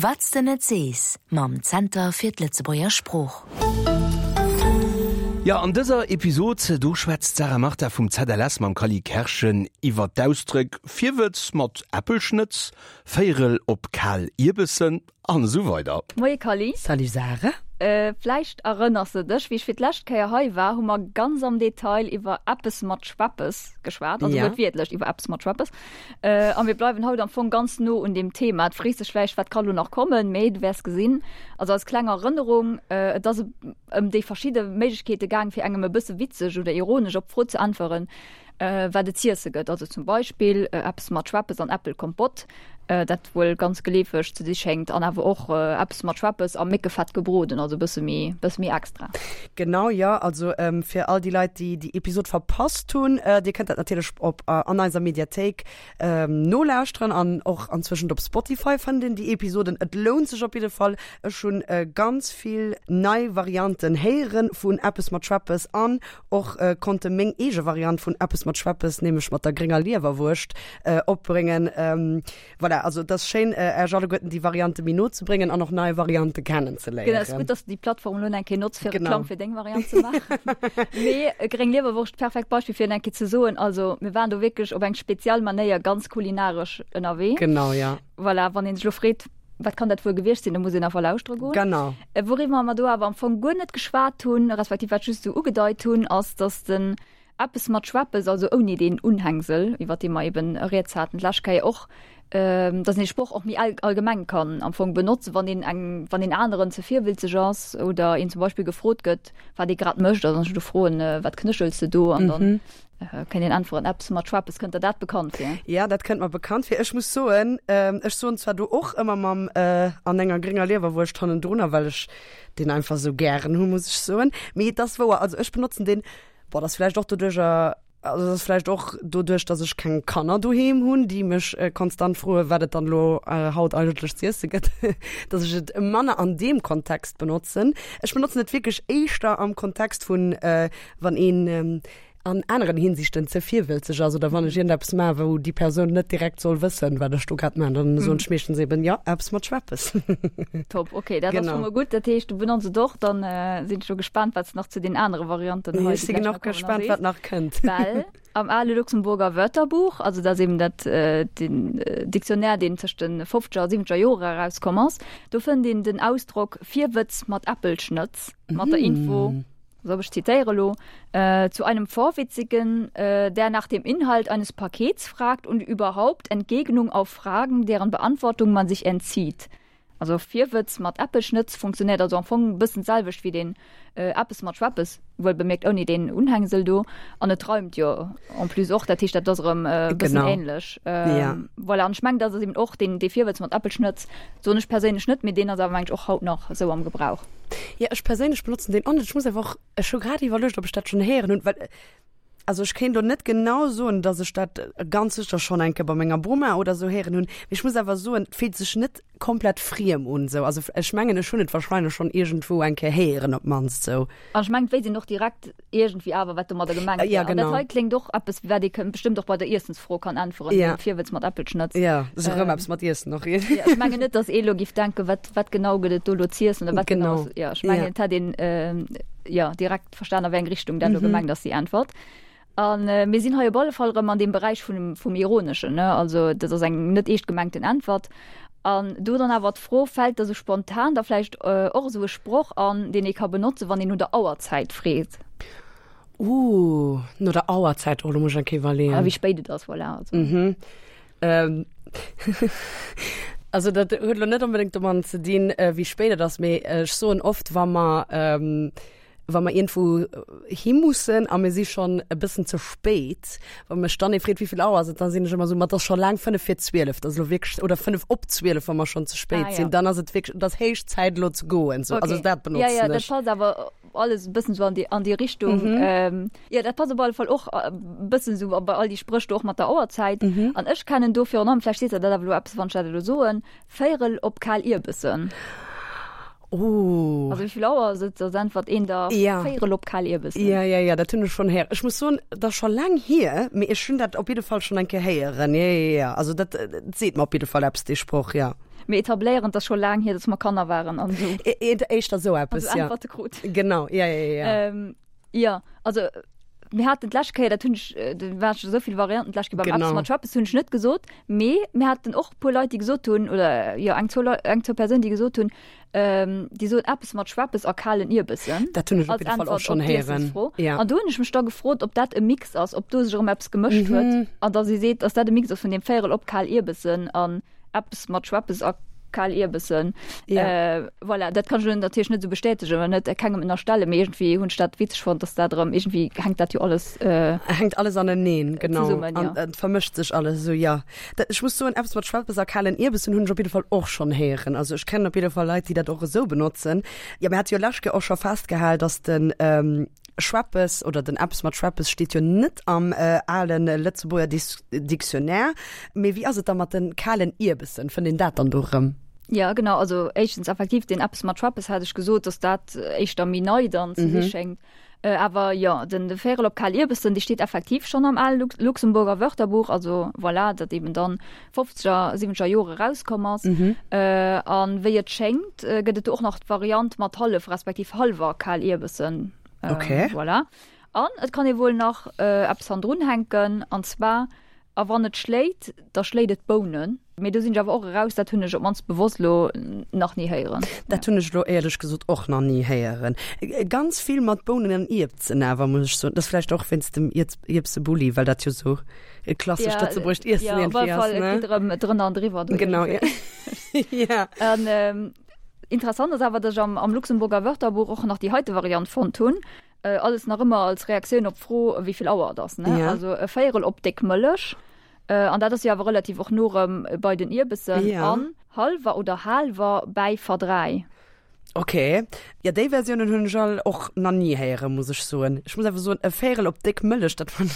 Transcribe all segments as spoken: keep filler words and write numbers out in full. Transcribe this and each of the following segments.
Wat s de net sees mam Zenter fir d'Lëtzebuerger Sprooch. Jo, an dëser Episod do schwätzt d'Sarah Martha vum ZLS mam Kally Kerschen iwwer d'Ausdréck Virwëtz mat Äppelschnëtz, Véierel op kal Ierbessen an esou weider. Moie Kally. Salut Sarah. Vläicht erënners de dech, wéi ech fir d'lescht Kéier hei war, hu mer ganz am Detail iwwer eppes mat Schweppes geschwat, also Ja. wuertwiertlech iwwer eppes mat Schweppes. A mir bleiwen haut am Fong ganz no un deem Thema. Et frees dech vläicht, wat ka lo nach kommen, mee du wäers gesinn. Also als kleng Erënnerung, et ass ëm déi verschidde Méiglechkeete gaang, fir engem e bësse witzeg oder ironesch op d'Fro ze äntweren, wat et z'iesse gëtt. Also zum Beispill eppes mat Schweppes an Äppelkompott, dat wuel ganz geleefeg ze si schéngt, an awer och eppes mat Schweppes a Méckefett gebroden, also e bësse méi, bësse méi extra. Genau, jo. Also fir all déi Leit, déi déi Episod verpasst hunn, Dir kënnt dat natierlech op an eiser Mediathéik nolauschteren an och anzwëschent op Spotify fënnt een déi Episoden. Et lount sech op jidde Fall. Ech hunn ganz vill nei Varianten héiere vun eppes mat Schweppes an och konnte meng eege Variant vun eppes mat Schweppes, nämlech mat der grénger Liewerwurscht, opbréngen. Voilà, also et ass schéin, Äech alleguerten déi Variante méi no ze bréngen an och nei Variante kennen ze Genau, et ass léieren. gutt, dass de déi Plattform elo eng Kéier notz, fir Genau. Reklamm fir deng Variant ze maachen. Mee gréng Liewerwurscht, perfekt Beispill, fir eng Kéier ze soen, also mir waren do wierklech op eng speziell Manéier ganz kulinaresch ënnerwee. Genau, ja. Voilà, wann een sech elo freet, wat kann dat wuel gewiescht sinn, da muss een einfach lauschtere goen. Genau. Wouriwwer mer do awer am Fong guer net geschwat hunn, respektiv wat ech just esou ugedeit hunn, ass, dass den eppes mat Schweppes, also ouni deen Unhängsel, iwwer dee mer eben rieds haten d'lescht Kéier och, dass een dee Sproch och méi allgemeng kann am Fong benotzen, wann een eng, wann een aneren ze virwilzeg ass oder een zum Beispill gefrot gëtt, wat ee grad mécht. Also wann ech elo froen, Wat knéchels de do? An dann kënnt een äntweren, Eppes mat Schweppes. Kënnt der dat bekannt vir? Ja, dat kënnt mer bekannt vir. Ech muss soen, ech soen zwar do och ëmmer mam an enger grénger Liewerwurscht hannendrunner, well ech deen einfach esou gären hu, muss ech soen. Mee et ass wouer, also ech benotzen deen, boah, dat ass vläicht och doduercher, also dat ass vläicht och doduerch, dass ech keng Kanner doheem hunn, déi mech konstant froen, wat et dann elo haut eigentlech z'iesse gëtt, dass ech et manner an deem Kontext benotzen. Ech benotzen et wierklech éischter am Kontext vun, wann een an aneren Hinsichten ze virwëlzeg ass oder wann ech iergendeppes maachen, wou déi Persoun net direkt soll wëssen, wat ech do grad maachen, dann soen ech meeschtens eben, jo, eppes mat Schweppes. Top, ok, dat ass Genau. scho mol gutt. Dat heescht, du benotz et och. Dann sinn ech lo gespaant, wat s de nach zu den anere Varianten hei, Ech déi si gläich och nach kommen, gespaant, sees. wat nach kënnt. Well am ale Luxemburger Wörterbuch, also dat ass eben dat, den Dictionnaire, deen tëscht de fofzeger a siwwenzeger Jore erauskomm ass, do fënnt een den Ausdrock Virwëtz mat Äppelschnëtz mat der Info, Also ech zitéiere lo, Zu einem Vorwitzigen, der nach dem Inhalt eines Pakets fragt und überhaupt Entgegnung auf Fragen, deren Beantwortung man sich entzieht. Also Virwëtz mat Äppelschnëtz funktionéiert also am Fong e bëssen d'selwecht wéi deen Eppes mat Schweppes, wuel bemierkt ouni deen Unhängsel do. An et reimt jo en plus och, dat heescht dat ass erëm e bëssen ähnlech. Voilà, an ech mengen dat ass eben och deen dee Virwëtz mat Äppelschnëtz, soen ech perséinlech net, mee deen ass awer mengen ech och haut nach esou am Gebrauch. Jo, ech perséinlech benotzen deen och net. Ech muss awer och, ech hu grad iwwerluecht, ob ech dat schonn héieren hunn, well, also ech kéint elo net genau soen, datt ech dat ganz sécher schonn eng Kéier bei menger Boma oder esou héieren hunn. Mee ech muss awer soen, et fillt sech net komplett friem un esou. Also ech mengen, ech hunn et warscheinlech schonn iergendwou eng Kéier héieren op d'mannst esou. An ech mengen, et wéisst een och direkt iergendwéi awer, wat domadder gemengt Ja, wär. An dat genau. hei kléngt och eppes, wat ee bestëmmt och bei der Iessensfro kann äntweren, Ja. Virwëtz mat Äppelschnëtz. Ja, sou erëm eppes mat Iessen och. Ja, ech mengen net, datt ee elo giff denken, wat, wat genau gëtt et do elo z'iessen oder wat genau Genau. ass. Ja, ech mengen, Ja. et hätt een jo direkt verstan, a wéi eng Richtung dat elo gemengt ass, déi Äntwert. An mir sinn hei op alle Fall erëm an deem Beräich vun, vum Ironeschen, ne? Also dat ass eng net eescht gemengten Äntwert. An do dann awer d'Fro, Fält der sou spontan da vläicht och esou e Sproch an, deen ee ka benotzen, wann een no der Auerzäit freet? Uh, no der Auerzäit, oh, do muss ech eng Kéier iwwerleeën. Ah, wéi spéit et ass, voilà. Also. Mhm. Ähm, also dat huet elo net onbedéngt domadden ze dinn, wéi spéit et ass, mee ech soen oft, wa mer, wa mer iergendwou hi mussen a mir si schonn e bëssen ze spéit, wa mech dann ee freet, wéi vill Auer ass et, da sinn ech ëmmer esou, ma et ass scho laang fënnef vir zwielef, dat ass elo wierklech, oder fënnef op zwielef, wa mer schonn ze spéit Ah, ja. sinn, dann ass et wierklech, et ass héich Zäit elo ze goen, sou. Also Okay. dat Ja, ja, benotzen dat ech. passt awer alles e bëssen sou an déi, an déi Richtung. Mhm. Ähm, ja, dat passt op alle Fall och e bëssen sou bei all déi Spréch do och mat der Auerzäit. Mhm. An ech kennen do virun allem, vläicht seet der dat awer elo eppes, wann ech dat elo soen, Véierel op kal Ierbessen. Oh. Also wéi vill Auer ass et, da äntwert een der Ja. Véierel op kal Ierbessen. Ja, ja, ja, dat hunn ech schonn héieren. Ech muss soen, dat ass scho laang hier, mee ech hunn dat op jidde Fall schonn eng Kéier héieren. Ja, ja, ja. Also dat, dat seet mer op jidde Fall eppes, dee Sproch, ja. Mir etabléieren, dass scho laang hier, dass mer Kanner waren an esou. Éischter esou eppes, ja. Äntwerte krut. Genau, ja, ja, ja. Ähm, ja, also mir haten d'lescht Kéier, dat hunn ech, do waren scho esou vill Varianten d'lescht Kéier beim Eppes mat Schweppes, hunn ech net gesot, mee mir haten och e puer Leit, déi gesot hunn, oder jo eng, zwou Leit, eng, zwou Persounen, déi gesot hunn, ähm, déi soen eppes mat Schweppes a kalen Ierbessen. Dat hunn ech op jidde Fall och schonn héieren. Ja. An do hunn ech mech da gefrot, ob dat e Mix ass, ob do sech erëm eppes gemëscht huet mhm. an da si seet, dass dat e Mix ass vun dem Véierel op kal Ierbessen an eppes mat Schweppes a kal Ierbessen. Ja. Äh, voilà, dat kann ech natierlech net sou bestätegen oder net kengem ënnerstellen, mee iergendwéi hunn ech dat witzeg fonnt, dass dat erëm iergendwéi hänkt dat jo alles äh, hänkt alles aneneen, genau. Zesummen, ja. An, et vermëscht sech alles esou, ja. Dat, ech muss soen, eppes mat Schweppes a kalen Ierbessen hunn ech op jidde Fall och schonn héieren. Also ech kennen op jidde Fall Leit, déi dat och esou benotzen. Jo, mir hate jo lescht Kéier och scho festgehal, dass den ähm, Schweppes oder den eppes mat Schweppes steet jo net am äh, alen Lëtzebuerger Dis Dictionnaire. Mee wéi ass et da mat den kalen Ierbessen? Fënnt een dat dann do erëm? Ja, genau, also éischtens effektiv den eppes mat Schweppes hat ech gesot, dass dat éischter méi nei dann ze si schéngt. Äh, awer jo, den de Véierel op kal Ierbessen, dee steet effektiv schonn am ale Lux Luxemburger Wörterbuch, also voilà, dat eben dann fofzeger, siwwenzeger Jore erauskomm ass. Äh, an wéi et schéngt, gëtt et do och nach d'Variant mat hallef respektiv hallwer kal Ierbessen. Ähm, okay. Voilà. An et kann ee wuel nach äh, eppes hannendrun hänken, an zwar, a wann et schléit, da schléit et Bounen. Mee do sinn ech awer och eraus, dat hunn ech op d'mannst bewosst lo nach ni héieren. Dat hunn ech lo éierlech gesot och nach ni héieren. Ganz vill mat Bounen an Ierpsen awer, muss ech soen. Dat ass vläicht och wéinst dem Ierpsebulli, well dat jo sou e klassescht lëtzebuergescht Iessen Ja, op iergendwéi alle ass, Fall, et ne? geet erëm drënner an driwwer do Genau, iergendwéi. ja. Ja. An interessant ass awer, dass ech am, am Luxemburger Wörterbuch och nach déi heite Variant fonnt hunn. Äh, alles nach ëmmer als Reaktioun op d'Fro, wéi vill Auer et ass, ne? Ja. Also e Véierel op déck Mëllech. Äh, an dat ass jo awer relativ och no erëm bei den Ierbessen. Ja. An hallwer oder halwer bäi verdräi. Ok. Ja, déi Versiounen hunn ech all och nach ni héieren, muss ech soen. Ech muss awer soen, e Véierel op déck Mëllech, dat fannen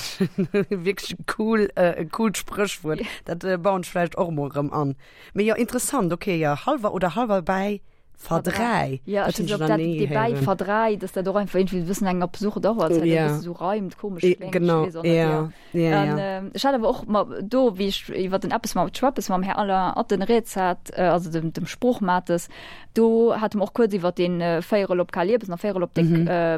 ech wierklech e cool, e coolt Spréchwuert. Dat bauen ech vläicht och emol erëm an. Mee jo, interessant, ok, jo, hallwer oder halwer bäi verdräi. Ja, Dat ech hunn weess ech net, ob nach dat ni dee bäi héieren. verdräi, dass dat och einfach iergendwéi e bëssen eng absurd och ass, well dat e Ja. bësse sou reimt, komesch E, kléngt, ech genau, weess och net, ja, jo. ja, An ja. ech hat awer och ma do, wéi ech iwwer den Eppes mam Schweppes mam Här Alain Atten rieds hat, also dem, dem Sproochmates, do hate mer och kuerz iwwer dee Véierel op kal Ierbessen a Véierel op déck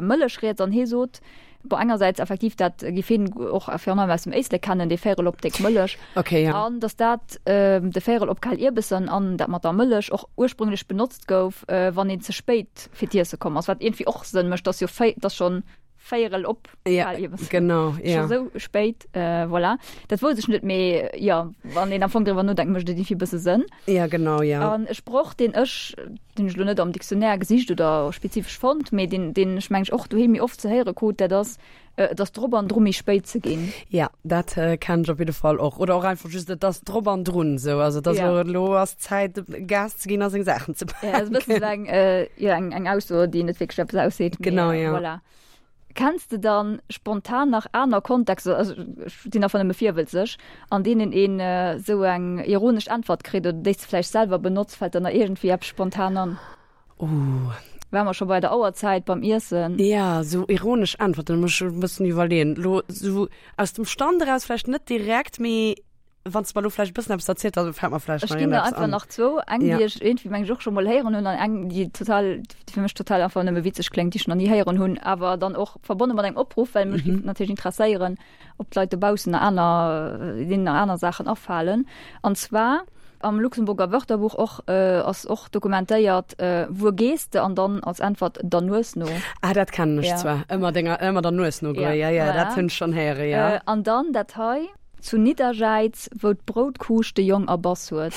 Mëllech rieds an hie sot, bon, engersäits effektiv, dat géif hien och virun allem aus dem Éislek kennen, dee Véierel op déck Mëllech, Okay, ja. an datt dat, de Véierel op kal Ierbessen an dat mat der Mëllech och ursprünglech benotzt gouf, wann een ze spéit fir d'Iesse komm ass, wat iergendwéi och Sënn mécht, dass jo véi, dass schonn Véierel op Ja, kal Ierbessen, genau, ja. scho sou spéit, voilà. Dat wousst ech net, mee jo, wann een am Fong driwwer nodenkt, mécht et iergendwéi e bësse Sënn. Ja, genau, ja. An e Sproch, deen ech, deen ech elo net am Dictionnaire gesicht oder spezifesch fonnt, mee deen, deen ech mengen ech och doheem méi oft ze héiere krut, dat ass, Et ass drop an dru méi spéit ze ginn. Ja, dat kennen ech op jidde Fall och. Oder och einfach just, et ass drop an drun esou. Also et ass Ja. elo, elo ass d'Zäit Gas ze ginn a seng Saachen ze Ja, ass e bëssen paken. esou eng, jo, eng, eng Ausso, déi net wierklech eppes ausseet, mee Genau, ja. voilà. Kenns de dann spontan nach aner Kontexter, also ech sinn einfach nëmme virwëlzeg, an deenen een esou eng ironesch Äntwert kritt oder déi s de vläicht selwer benotz? Fält der nach iergendwéi eppes spontan an? Ooh. Ware mer scho bei der Auerzäit beim Iessen? Ja, esou ironesch Äntwerten, da muss ech e bëssen iwwerleeën. Elo esou aus dem Stand eraus vläicht net direkt, mee Wann s de mer elo vläicht e bëssen eppes erzielt, da fält mer vläicht Ech nach ginn der iergendeppes einfach an. nach zwou. Eng, Ja. déi ech iergendwéi, meng ech, och scho mol héieren hunn an eng, déi total, déi fir mech total einfach nëmme witzeg kléngt, déi ech nach ni héieren hunn, awer dann och verbonne mat engem Opruff, well mech géif natierlech interesséieren, ob d'Leit dobaussen nach aner, deenen nach aner Saachen afalen. An zwar am Luxemburger Wörterbuch och, ass och dokumentéiert, Wuer gees de? An dann als Äntwert, Der Nues no. Ah, dat kennen ech Ja. zwar. Ëmmer denger, ëmmer der Nues no goen. Ja, Ja, ja, dat voilà. hunn ech schonn héieren, ja. An dann dat hei. Zu Nidderjäiz, wou d'Broutkuuscht de Jong erbass huet.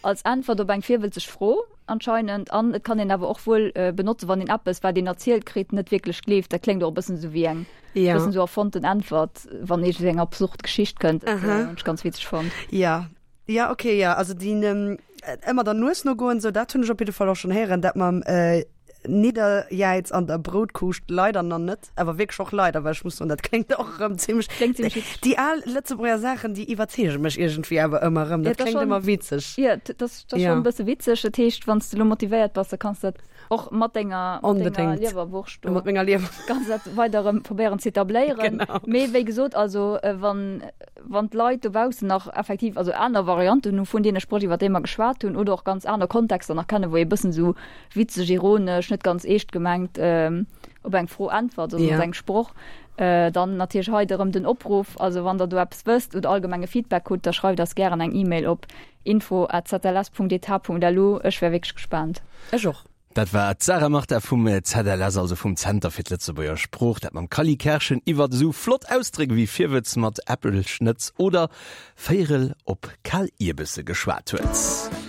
Als Äntwert op eng virwëlzeg Fro anscheinend. An et kann een awer och wuel benotzen, wann een eppes, wat een erzielt kritt, net wierklech gleeft. Dat kléngt och e bëssen esou wéi eng Ja. bëssen esou erfonnten Äntwert, wann iergendwéi eng absurd Geschicht kënnt. Dat Aha. hunn ech ganz witzeg fonnt. Ja. Ja, okay, ja. Also déi ëmmer der Nues no goen, sou, dat hunn ech op jidde Fall och schonn héieren. Dat mam Nidderjäiz an der Broutkuuscht leider nach net, awer wierklech och leider, well ech muss soen, dat kléngt och erëm zimmlech. Kléngt zimmlech witzeg. Déi al Lëtzebuerger Saachen, déi iwwerzeege mech iergendwéi awer ëmmer erëm. Ja, Dat dat ass kléngt schon, ëmmer witzeg. ja, dat ass dat ass Ja. schon e bësse witzeg. Dat heescht, wann s de elo motivéiert bass, da kanns de dat och mat denger, mat denger Onbedéngt. Liewerwurscht do Mat menger Liewer. kanns dat weider erëm probéieren ze etabléieren. Genau. Mee wéi gesot, also wann, wann d'Leit dobaussen nach effektiv also aner Varianten hu vun deene Spréch, iwwer déi mer geschwat hunn, oder och ganz aner Kontexter nach kennen, wou ee bëssen esou witzeg, ironesch, net ganz eescht gemengt op eng Fro äntwert oder Ja. op eng Sproch, dann natierlech hei erëm den Opruff, also wann der do eppes wësst oder allgemenge Feedback hutt, da schreift eis gären eng E-Mail op info at zls punkt etat punkt lu. Ech wär wierklech gespaant. Ech och. Dat war d'Sarah Martha vum ZLS, also vum Zenter fir d'Lëtzebuerger Sprooch, dat mam Kally Kerschen iwwert esou flott Ausdréck wéi Virwëtz mat Äppelschnëtz oder Véierel op kal Ierbesse geschwat huet.